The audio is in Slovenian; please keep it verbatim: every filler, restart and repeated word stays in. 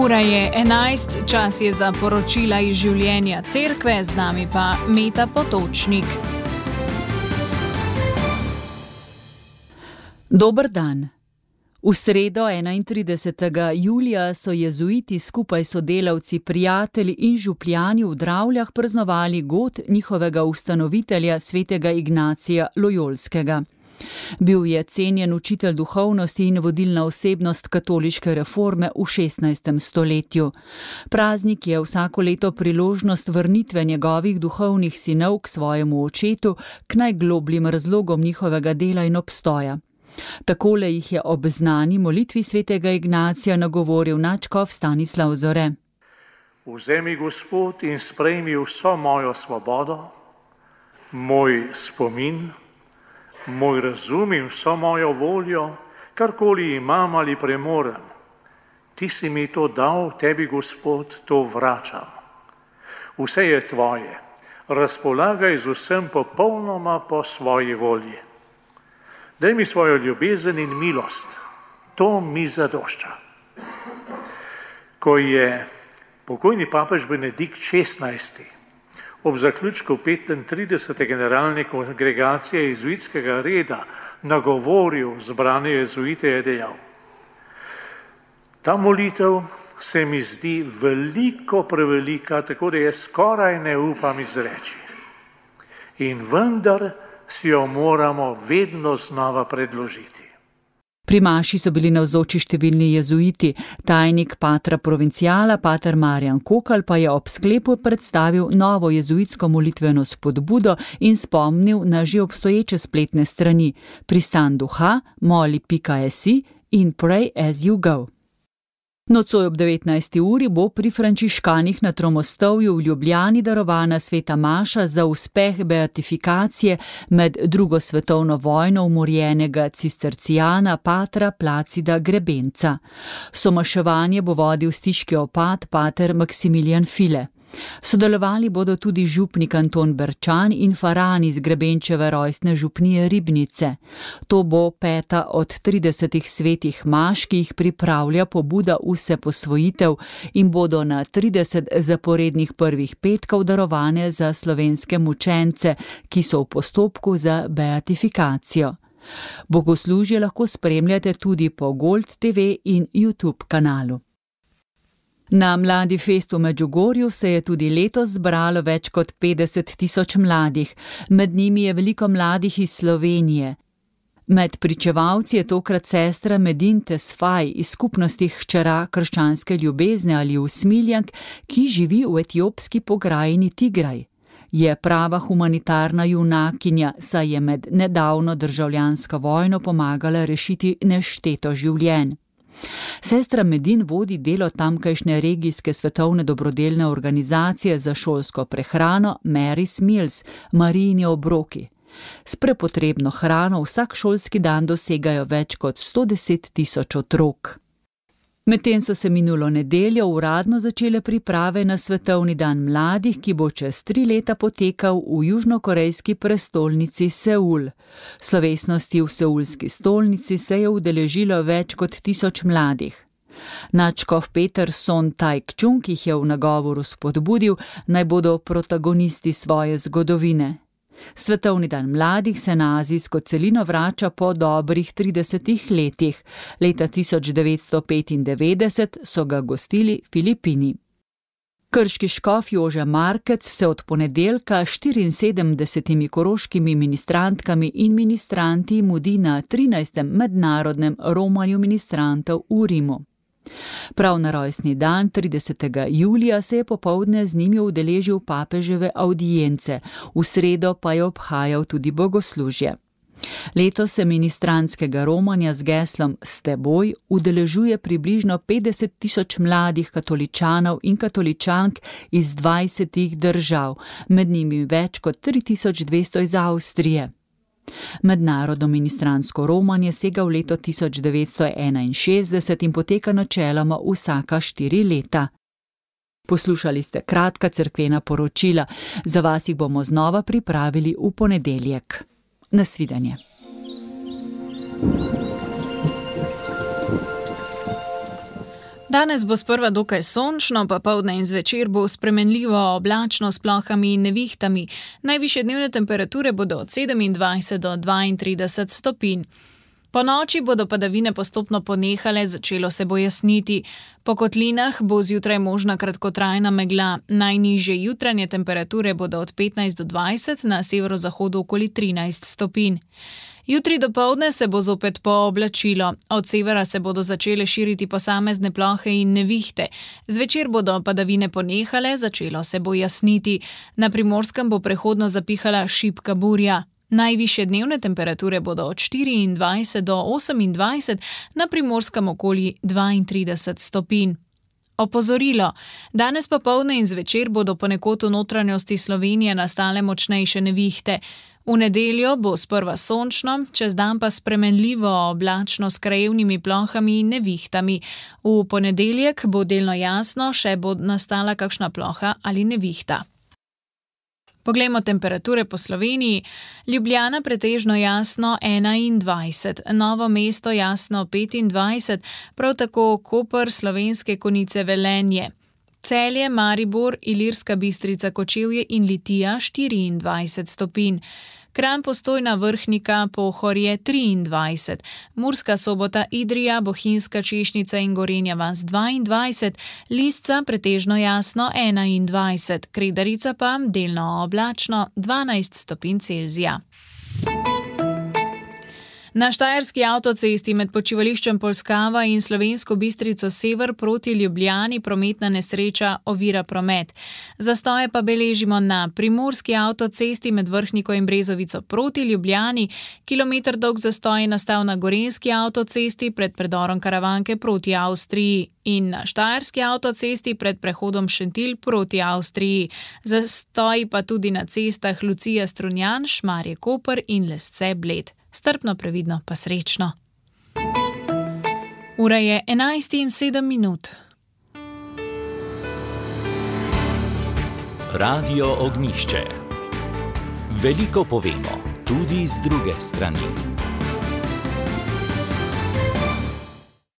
Ura je enajst, čas je za poročila iz življenja cerkve, z nami pa Meta Potočnik. Dober dan. V sredo enaintridesetega julija so jezuiti skupaj s sodelavci, prijatelji in župljani v Dravljah praznovali god njihovega ustanovitelja svetega Ignacija Lojolskega. Bil je cenjen učitelj duhovnosti in vodilna osebnost katoliške reforme v šestnajstem stoletju. Praznik je vsako leto priložnost vrnitve njegovih duhovnih sinov k svojemu očetu, k najglobljim razlogom njihovega dela in obstoja. Takole jih je ob znani molitvi svetega Ignacija nagovoril nadškof Stanislav Zore. Vzemi, Gospod, in sprejmi vso mojo svobodo, moj spomin, moj razum in vso mojo voljo, karkoli imam ali premorem. Ti si mi to dal, tebi, Gospod, to vračam. Vse je tvoje, razpolagaj z vsem popolnoma po svoji volji. Daj mi svojo ljubezen in milost, to mi zadošča. Ko je pokojni papež Benedikt šestnajsti ob zaključku petintridesete generalne kongregacije jezuitskega reda nagovoril zbrane jezuite, je dejal: ta molitev se mi zdi veliko prevelika, tako da je skoraj ne upam izreči. In vendar si jo moramo vedno znova predložiti. Pri maši so bili navzoči številni jezuiti, tajnik patra provinciala, pater Marjan Kokal, pa je ob sklepu predstavil novo jezuitsko molitveno spodbudo in spomnil na že obstoječe spletne strani Pristan duha, moli pika si in Pray as you go. Nocoj ob devetnajsti uri bo pri frančiškanih na Tromostovju v Ljubljani darovana sveta maša za uspeh beatifikacije med drugo svetovno vojno umorjenega cistercijana patra Placida Grebenca. Somaševanje bo vodil stiški opat pater Maksimilijan File. Sodelovali bodo tudi župnik Anton Berčan in faran iz Grebenčeve rojstne župnije Ribnice. To bo peta od tridesetih svetih maš, ki jih pripravlja pobuda Vse posvojitev in bodo na trideset zaporednih prvih petkov darovane za slovenske mučence, ki so v postopku za beatifikacijo. Bogoslužje lahko spremljate tudi po Gold te ve in YouTube kanalu. Na Mladi fest v Medžugorju se je tudi letos zbralo več kot petdeset tisoč mladih, med njimi je veliko mladih iz Slovenije. Med pričevalci je tokrat sestra Medin Tesfaj iz skupnosti hčera krščanske ljubezne ali usmiljank, ki živi v etiopski pokrajini Tigraj. Je prava humanitarna junakinja, saj je med nedavno državljansko vojno pomagala rešiti nešteto življenj. Sestra Medin vodi delo tamkajšnje regijske svetovne dobrodelne organizacije za šolsko prehrano Mary's Meals, Marijini obroki. S prepotrebno hrano vsak šolski dan dosegajo več kot sto deset tisoč otrok. Medtem so se minulo nedeljo uradno začele priprave na Svetovni dan mladih, ki bo čez tri leta potekal v južnokorejski prestolnici Seul. Slovesnosti v seulski stolnici se je udeležilo več kot tisoč mladih. Nadškof Peter Son Taek-chung jih je v nagovoru spodbudil, naj bodo protagonisti svoje zgodovine. Svetovni dan mladih se na azijsko celino vrača po dobrih tridesetih letih. Leta tisoč devetsto petindevetdeset so ga gostili Filipini. Krški škof Jože Markec se od ponedeljka štiriinsedemdesetimi koroškimi ministrantkami in ministranti mudi na trinajstem mednarodnem romanju ministrantov v Rimu. Prav na rojstni dan tridesetega julija se je popoldne z njimi udeležil papeževe avdience, v sredo pa je obhajal tudi bogoslužje. Letos se ministrantskega romanja z geslom S teboj udeležuje približno petdeset tisoč mladih katoličanov in katoličank iz dvajsetih držav, med njimi več kot tri tisoč dvesto iz Avstrije. Mednarodno ministrantsko romanje sega v leto tisoč devetsto enainšestdeset in poteka načeloma vsaka štiri leta. Poslušali ste kratka cerkvena poročila, za vas jih bomo znova pripravili v ponedeljek. Nasvidenje. Danes bo sprva dokaj sončno, popoldne in zvečer bo spremenljivo oblačno s plohami in nevihtami. Najvišje dnevne temperature bodo od sedemindvajset do dvaintrideset stopinj. Po noči bodo padavine postopno ponehale, začelo se bo jasniti. Po kotlinah bo zjutraj možna kratkotrajna megla. Najnižje jutranje temperature bodo od petnajst do dvajset, na severozahodu okoli trinajst stopinj. Jutri dopoldne se bo zopet pooblačilo. Od severa se bodo začele širiti posamezne plohe in nevihte. Zvečer bodo padavine ponehale, začelo se bo jasniti. Na Primorskem bo prehodno zapihala šibka burja. Najvišje dnevne temperature bodo od štiriindvajset do osemindvajset, na Primorskem okoli dvaintrideset stopinj. Opozorilo. Danes popoldne in zvečer bodo ponekod v notranjosti Slovenije nastale močnejše nevihte. V nedeljo bo sprva sončno, čez dan pa spremenljivo oblačno s krajevnimi plohami in nevihtami. V ponedeljek bo delno jasno, še bo nastala kakšna ploha ali nevihta. Poglejmo temperature po Sloveniji. Ljubljana pretežno jasno enaindvajset, Novo mesto jasno petindvajset, prav tako Koper, Slovenske Konjice, Velenje. Celje, Maribor, Ilirska Bistrica, Kočevje in Litija štiriindvajset stopinj. Kranj, Postojna, Vrhnika, Pohorje triindvajset, Murska Sobota, Idrija, Bohinjska, Češnica in Gorenja vas dvaindvajset, Lisca pretežno jasno enaindvajset, Kredarica pa delno oblačno dvanajst stopinj Celzija. Na štajerski avtocesti med počivališčem Polskava in Slovensko Bistrico sever proti Ljubljani prometna nesreča ovira promet. Zastoje pa beležimo na primorski avtocesti med Vrhniko in Brezovico proti Ljubljani, kilometer dolg zastoj je nastal na gorenjski avtocesti pred predorom Karavanke proti Avstriji in na štajerski avtocesti pred prehodom Šentilj proti Avstriji. Zastoji pa tudi na cestah Lucija Strunjan, Šmarje Koper in Lesce Bled. Strpno, previdno pa srečno. Ura je enajst in sedem minut. Radio Ognjišče. Veliko povemo, tudi z druge strani.